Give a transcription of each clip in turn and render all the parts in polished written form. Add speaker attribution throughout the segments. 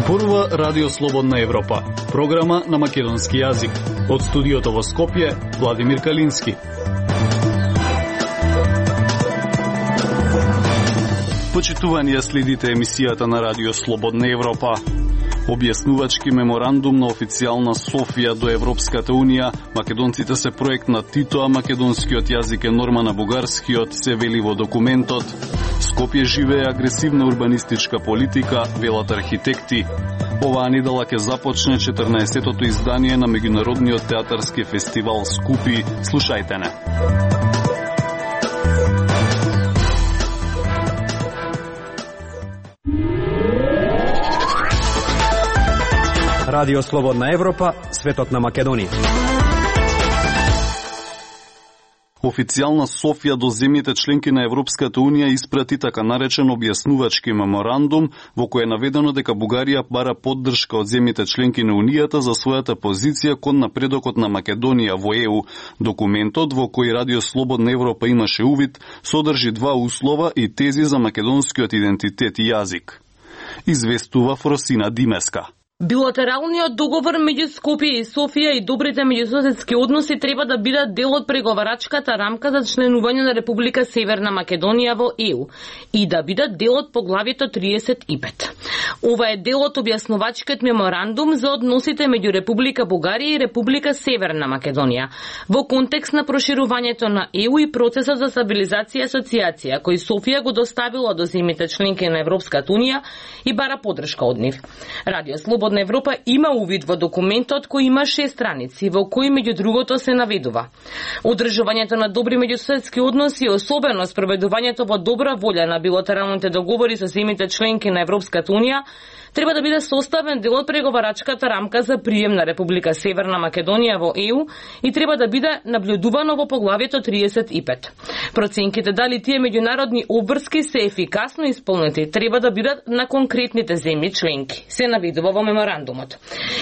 Speaker 1: Зборува Радио Слободна Европа, програма на македонски јазик. Од студиото во Скопје, Владимир Калински. Почитувани, следите емисијата на Радио Слободна Европа. Објаснувачки меморандум на официјална Софија до Европската Унија, македонците се проект на Тито, а македонскиот јазик е норма на бугарскиот, се вели во документот. Скопје живее агресивна урбанистичка политика, велат архитекти. Оваа недела ќе започне 14-тото издание на меѓународниот театарски фестивал Скупи. Слушајте не.
Speaker 2: Радио Слободна Европа, светот на Македонија.
Speaker 1: Официјална Софија до земјите членки на Европската Унија испрати така наречен објаснувачки меморандум во кој е наведено дека Бугарија бара поддршка од земјите членки на Унијата за својата позиција кон напредокот на Македонија во ЕУ. Документот, во кој Радио Слободна Европа имаше увид, содржи два услова и тези за македонскиот идентитет и јазик. Известува Фросина Димеска.
Speaker 3: Билатералниот договор меѓу Скопје и Софија и добрите меѓусоседски односи треба да бидат дел од преговарачката рамка за членување на Република Северна Македонија во ЕУ и да бидат дел од поглавието 35. Ова е дел од објаснувачкиот меморандум за односите меѓу Република Бугарија и Република Северна Македонија во контекст на проширувањето на ЕУ и процесот за стабилизација и асоциација кој Софија го доставила до земјите членки на Европската Унија и бара поддршка од нив. Радио Слободна Европа има увид во документот кој има 6 страници, во кои меѓу другото се наведува одржувањето на добри меѓусоседски односи, особено спроведувањето во добра волја на билатералните договори со земјите членки на Европската Унија, треба да биде составен дел од преговарачката рамка за прием на Република Северна Македонија во ЕУ и треба да биде наблюдувано во поглавието 35. Проценките дали тие меѓународни обврски се ефикасно исполнети треба да бидат на конкретните земји членки, се наведува во меморандумот.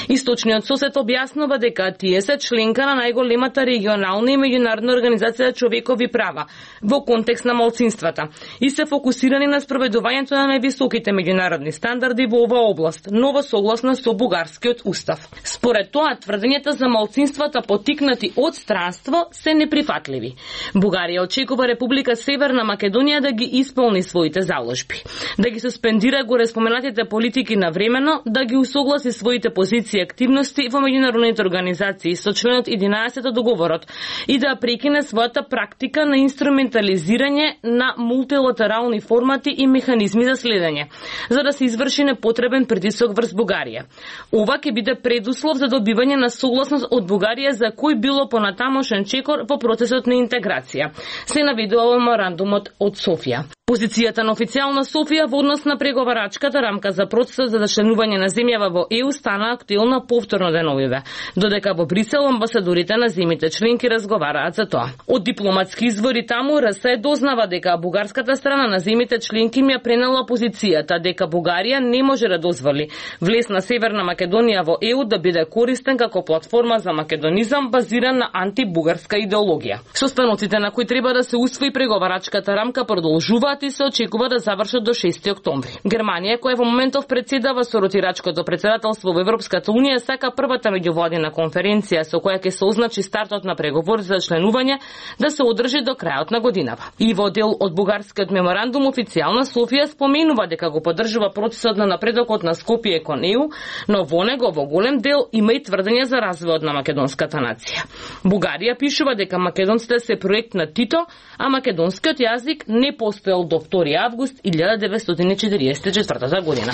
Speaker 3: Источниот сосед објаснува дека тие се членка на најголемата регионална и меѓународна организација за човекови права во контекст на малцинствата и се фокусирани на спроведувањето на највисоките меѓународни стандарди во оваа област, ново согласно со бугарскиот устав. Според тоа, тврдењата за малцинствата потикнати од странство се неприфатливи. Бугарија очекува Република Северна Македонија да ги исполни своите заложби, да ги суспендира горе споменатите политики навремено, да ги усогласи своите позиции и активности во меѓународните организации со членот 11 од договорот и да прекине својата практика на инструментализирање на мултилатерални формати и механизми за следење, за да се изврши непотребен притисок врз Бугарија. Ова ќе биде предуслов за добивање на согласност од Бугарија за кој било понатамошен чекор во процесот на интеграција, се наведува во меморандумот од Софија. Позицијата на официјална Софија во однос на преговарачката рамка за процесот за членување на земјава во ЕУ стана актуелна повторно деновиве, додека во Брисел амбасадорите на земјите членки разговараат за тоа. Од дипломатски извори таму РС дознава дека бугарската страна на земјите членки ја пренела позицијата дека Бугарија не може да дозволи влез на Северна Македонија во ЕУ да биде користен како платформа за македонизам базиран на антибугарска идеологија. Состаноците на кои треба да се усвои преговарачката рамка продолжуваат и се очекува да завршат до 6 октомври. Германија, која во моментов председава со ротирачкото председателство во Европската Унија, сака првата меѓувладина конференција со која ќе се означи стартот на преговори за членување да се одржи до крајот на годинава. И во дел од бугарскиот меморандум официјална Софија споменува дека го поддржува процесот на напредокот на Скопје кон ЕУ, но во него во голем дел има и тврдења за развојот на македонската нација. Бугарија пишува дека македонците се проект на Тито, а македонскиот јазик не постоел до 2 август 1944 година.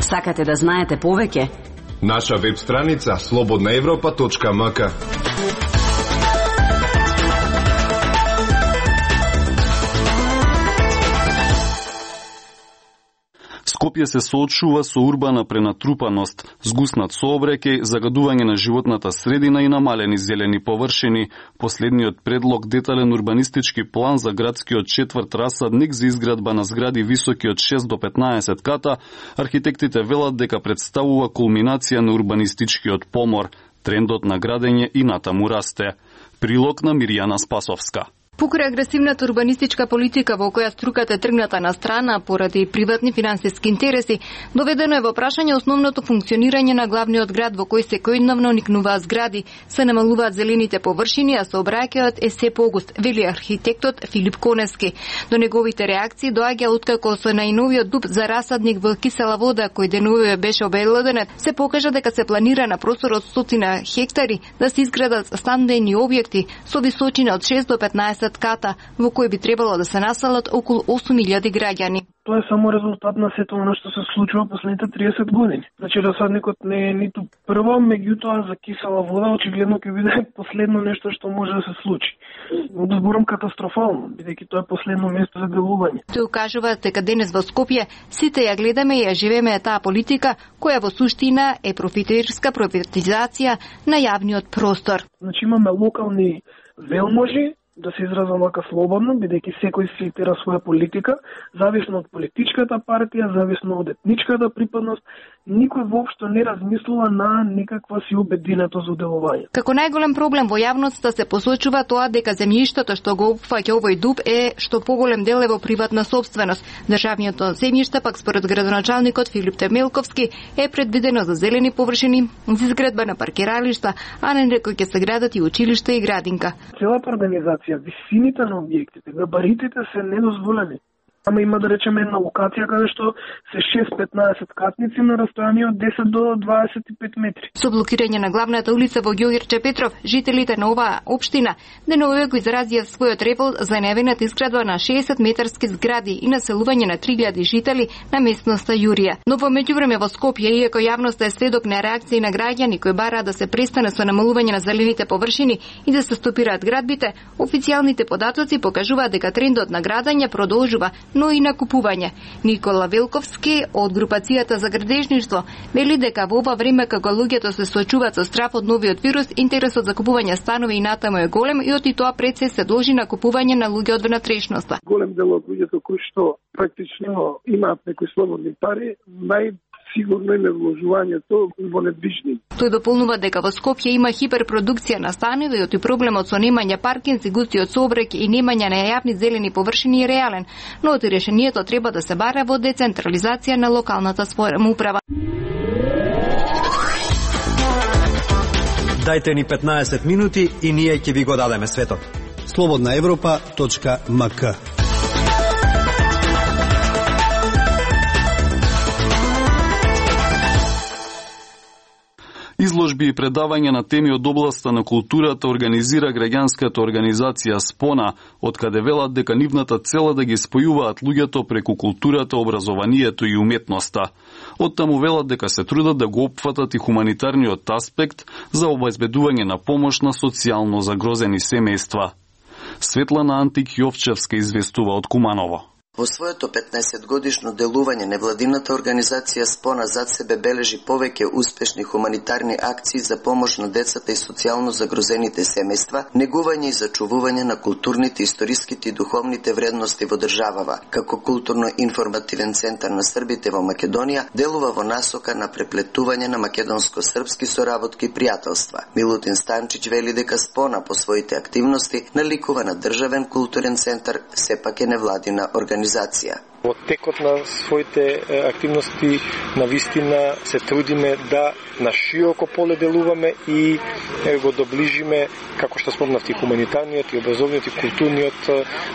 Speaker 4: Сакате да знаете повеќе?
Speaker 5: Наша веб страница slobodnaevropa.mk.
Speaker 1: Скопје се соочува со урбана пренатрупаност, згуснат сообраќај, загадување на животната средина и намалени зелени површини. Последниот предлог детален урбанистички план за градскиот четврт Расадник за изградба на згради високи од 6 до 15 ката, архитектите велат дека представува кулминација на урбанистичкиот помор. Трендот на градење и натаму расте. Прилог на Мирјана Спасовска.
Speaker 6: Покрај агресивната урбанистичка политика во која струката е тргната на страна поради приватни финансиски интереси, доведено е во прашање основното функционирање на главниот град во кој секојдневно никнуваат згради, се намалуваат зелените површини, а сообраќајот е се погуст, вели архитектот Филип Коневски. До неговите реакции доаѓа откако со најновиот дуб за расадник во кисела вода кој денуве беше обелоденет, се покажа дека се планира на простор од 100 хектари да се изградат стандени објекти со височина од 6 до 15 ката, во кој би требало да се населат околу 8.000 граѓани.
Speaker 7: Тоа е само резултат на сето она што се случува последните 30 години. Значи расадникот не е ниту прво, меѓутоа за кисела вода очигледно ќе биде последно нешто што може да се случи. Да зборам катастрофално, бидејќи тоа е последно место за делување.
Speaker 6: Тој кажува дека денес во Скопје сите ја гледаме и ја живееме таа политика која во суштина е профитерска приватизација на јавниот простор.
Speaker 7: Значи имаме локални велможи, да се изразам вака слободно, бидејќи секој си тера своја политика, зависно од политичката партија, зависно од етничката припадност, никој воопшто не размислува на некаква си обединетост за делување.
Speaker 6: Како најголем проблем во јавноста се посочува тоа дека земјиштето што го опфаќа овој дуб е што поголем дел е во приватна сопственост. Државното земјиште пак според градоначалникот Филип Темелковски е предвидено за зелени површини, за изградба на паркиралишта, а не некој ќе се градат и училишта и градинка.
Speaker 7: Целата организација, висините на објектите, габаритите се недозволени. Ама има да речеме една локација каде што се 6-15 катници на растојание од 10 до 25 метри.
Speaker 6: Со блокирање на главната улица во Ѓорче Петров, жителите на оваа општина деновиве го изразија својот револт за најавената изградба на 60 метарски згради и населување на 3000 жители на местноста Јурија. Но во меѓувреме во Скопје, иако јавноста е сведок на реакции на граѓани кои бараат да се престане со намалување на зелените површини и да се стопираат градбите, официјалните податоци покажуваат дека трендот на градење продолжува, но и на купување. Никола Велковски од групацијата за градежништво вели дека во ова време кога луѓето се соочуваат со страф од новиот вирус, интересот за купување станови и натаму е голем и оти тоа пред се должи на купување на луѓе од внатрешноста.
Speaker 7: Голем дел од луѓето кои што практично имаат некои слободни пари, сигурно име вложувањето во недвижни.
Speaker 6: Тој дополнува дека во Скопје има хиперпродукција на станови и оти проблемот со немање паркинзи, густиот сообраќај и немање на јавни зелени површини е реален, но оти решението треба да се бара во децентрализација на локалната самоуправа.
Speaker 2: Дајте ни 15 минути и ние ќе ви го дадеме светот.
Speaker 8: slobodnaevropa.mk.
Speaker 1: Изложби и предавања на теми од областа на културата организира граѓанската организација СПОНА, откаде велат дека нивната цел е да ги спојуваат луѓето преку културата, образованието и уметноста. Оттаму велат дека се трудат да го опфатат и хуманитарниот аспект за обезбедување на помош на социјално загрозени семејства. Светлана Антик Јовчевска известува од Куманово.
Speaker 9: Во своето 15-годишно делување невладината организација СПОНА зад себе бележи повеќе успешни хуманитарни акции за помош на децата и социјално загрозените семејства, негување и зачувување на културните, историските и духовните вредности во државава. Како културно-информативен центар на србите во Македонија, делува во насока на преплетување на македонско-српски соработки и пријателства. Милутин Станчиć вели дека СПОНА по своите активности наликува на државен културен центар, сепак е невладина организација.
Speaker 10: Во текот на своите активности навистина се трудиме да на широко поле делуваме и го доближиме, како што спомнав, и хуманитарниот, и образовниот, и културниот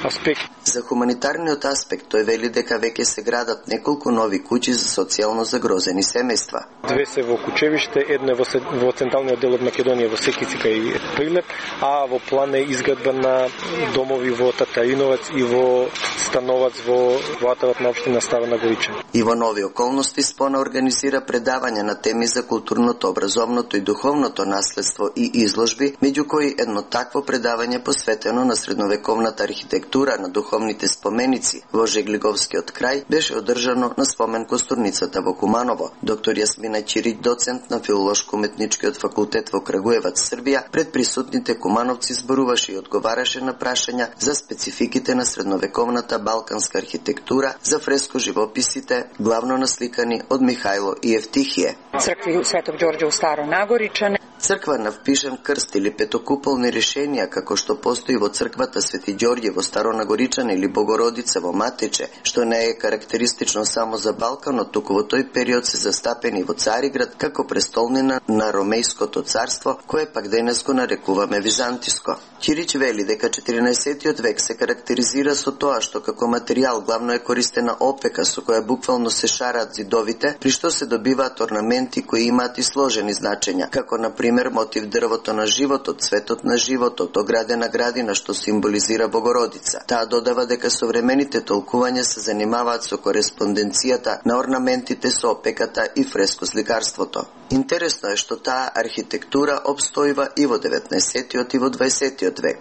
Speaker 10: аспект.
Speaker 9: За хуманитарниот аспект тој вели дека веќе се градат неколку нови куќи за социјално загрозени семејства.
Speaker 10: Две се во Кучевиште, едно во централниот дел од Македонија, во Секицика и Прилеп, а во план е изградба на домови во Татариновац и во Становац во атавот на општина Стара Нагориче.
Speaker 9: И во нови околности СПОНА организира предавања на теми за културното, образовното и духовното наследство и изложби, меѓу кои едно такво предавање посветено на средновековната архитектура на духовните споменици во Жеглиговскиот крај беше одржано на спомен костурницата во Куманово. Доктор Јасмина Чирич, доцент на филолошко-уметничкиот факултет во Крагуевац, Србија, пред присутните кумановци зборуваше и одговараше на прашања за спецификите на средновековната балканска архитектура, за фреско живописите, главно насликани од Михајло и Евтихије.
Speaker 11: Цркви Светог Ѓорѓе у Старо Нагоричане.
Speaker 9: Црква на впишан крст или петокуполни решенија, како што постои во црквата Свети Ѓорѓе во Старонагоричан или Богородица во Матиче, што не е карактеристично само за Балканот, туку во тој период се застапени во Цариград како престолнина на Ромејското царство, кое пак денес го нарекуваме Византиско. Ќирич вели дека 14. век се карактеризира со тоа што како материјал главно е користена опека со која буквално се шараат зидовите, при што се добиваат орнаменти кои имаат и сложени значења, како на пример мотив дрвото на животот, цветот на животот, оградена градина што символизира Богородица. Таа додава дека современите толкувања се занимаваат со кореспонденцијата на орнаментите со опеката и фрескосликарството. Интересно е што таа архитектура обстојува и во 19. и во 20. век.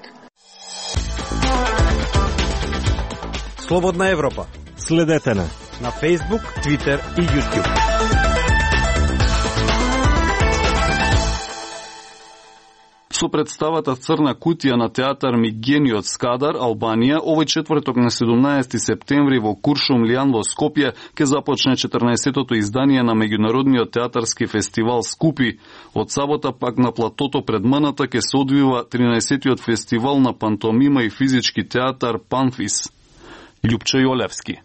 Speaker 2: Слободна Европа.
Speaker 8: Следете на
Speaker 2: Facebook, Twitter и YouTube.
Speaker 1: Со представата Црна кутија на театар Мигениот Скадар, Албанија, овој четврток на 17 септември во Куршумлијан во Скопје ќе започне 14-тото издание на меѓународниот театарски фестивал Скупи. Од сабота пак на платото пред Маната ќе се одвива 13-тиот фестивал на пантомима и физички театар Панфис. Љупчо Јолевски.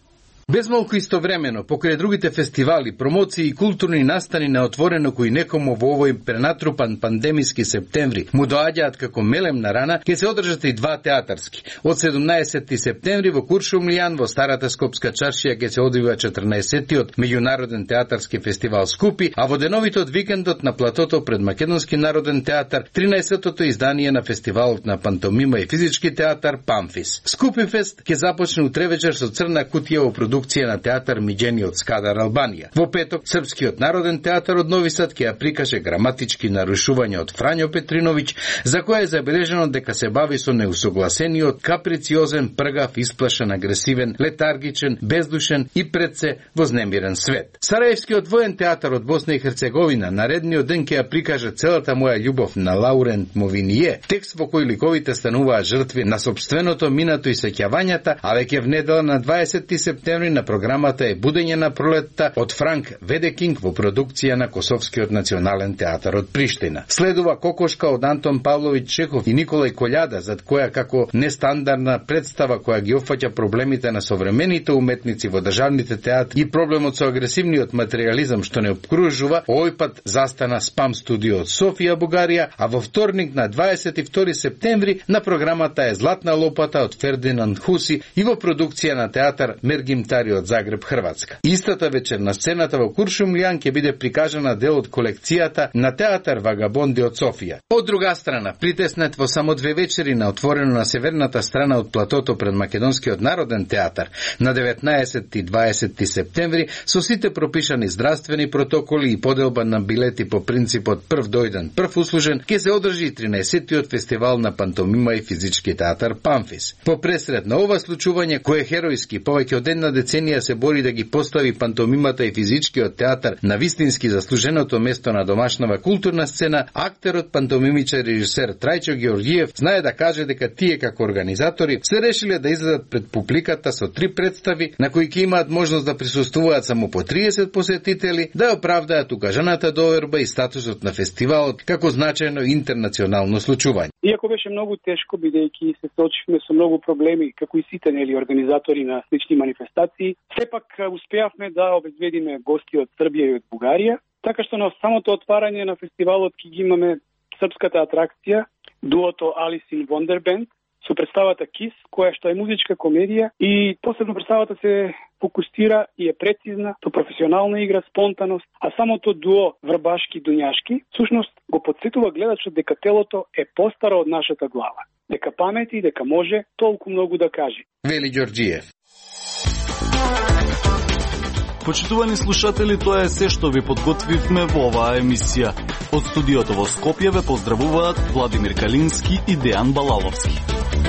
Speaker 11: Без малку истовремено, покрај другите фестивали, промоции и културни настани на отворено кои некому во овој пренатрупан пандемиски септември му доаѓаат како мелем на рана, ќе се одржат и два театарски. Од 17 септември во Куршумлијан во Старата Скопска чаршија ќе се одвива 14-тиот меѓународен театарски фестивал Скупи, а во деновите од викендот на платото пред Македонски народен театар 13-тото издание на фестивалот на пантомима и физички театар Панфис. Скупи фест ќе започне утре вечер со Црна кутија во продукција на театар Мигениот Скадар, Албанија. Во петок, Српскиот народен театар од Нови Сад ќе ја прикаже граматички нарушувања од Фрањо Петриновиќ, за која е забележено дека се бави со неусогласениот, каприциозен, пргав, исплашен, агресивен, летаргичен, бездушен и пред се вознемирен свет. Сараевскиот воен театар од Босна и Херцеговина наредниот ден ќе ја прикаже Целата моја љубов на Лаурент Мовиние, текст во кој ликовите стануваат жртви на сопственото минато и сеќавањата, а веќе в недела на 20 септември на програмата е Будење на пролетта од Франк Ведекинг во продукција на Косовскиот национален театар од Приштина. Следува Кокошка од Антон Павловиќ Чехов и Николај Колјада, зад која како нестандардна представа која ги опфаќа проблемите на современите уметници во државните театри и проблемот со агресивниот материјализам што не обкружува, овој пат застана Спам студио од Софија, Бугарија, а во вторник на 22 септември на програмата е Златна лопата од Фердинанд Хуси и во продукција на театар Мергимтари од Загреб, Хрватска. Истата вечер на сцената во Куршумлијан ќе биде прикажана дел од колекцијата на театар Вагабонди од Софија. Од друга страна, притеснет во само 2 вечери на отворено на северната страна од платото пред Македонскиот народен театар на 19 и 20 септември со сите пропишани здравствени протоколи и поделба на билети по принципот прв дојден, прв услужен, ќе се одржи 13-тиот фестивал на пантомима и физички театар Панфис. По пресред на ова случување, кое херојски повеќе од една деценија се бори да ги постави пантомимата и физичкиот театар на вистински заслуженото место на домашнава културна сцена, актерот, пантомимичар и режисер Трајчо Георгиев знае да каже дека тие како организатори се решиле да излезат пред публиката со 3 представи на кои ќе имаат можност да присуствуваат само по 30 посетители, да оправдаат укажаната доверба и статусот на фестивалот како значајно интернационално случување.
Speaker 12: Иако беше многу тешко, бидејќи се соочивме со многу проблеми, како и сите организатори на слични манифестации, сепак успеавме да обезбедиме гости од Србија и од Бугарија, така што на самото отварање на фестивалот ќе ги имаме српската атракција, дуото Alice in Wonderland, со представата Kiss, која што е музичка комедија и посебно представата се фокусира и е прецизна, со професионална игра, спонтаност, а самото дуо Врбашки-Дуњашки всушност го подсетува гледачот дека телото е постаро од нашата глава, дека памети, дека може толку многу да каже.
Speaker 11: Вели Ѓорџиев.
Speaker 1: Почитувани слушатели, тоа е се што ви подготвивме во оваа емисија. Од студиото во Скопје ве поздравуваат Владимир Калински и Дејан Балаловски.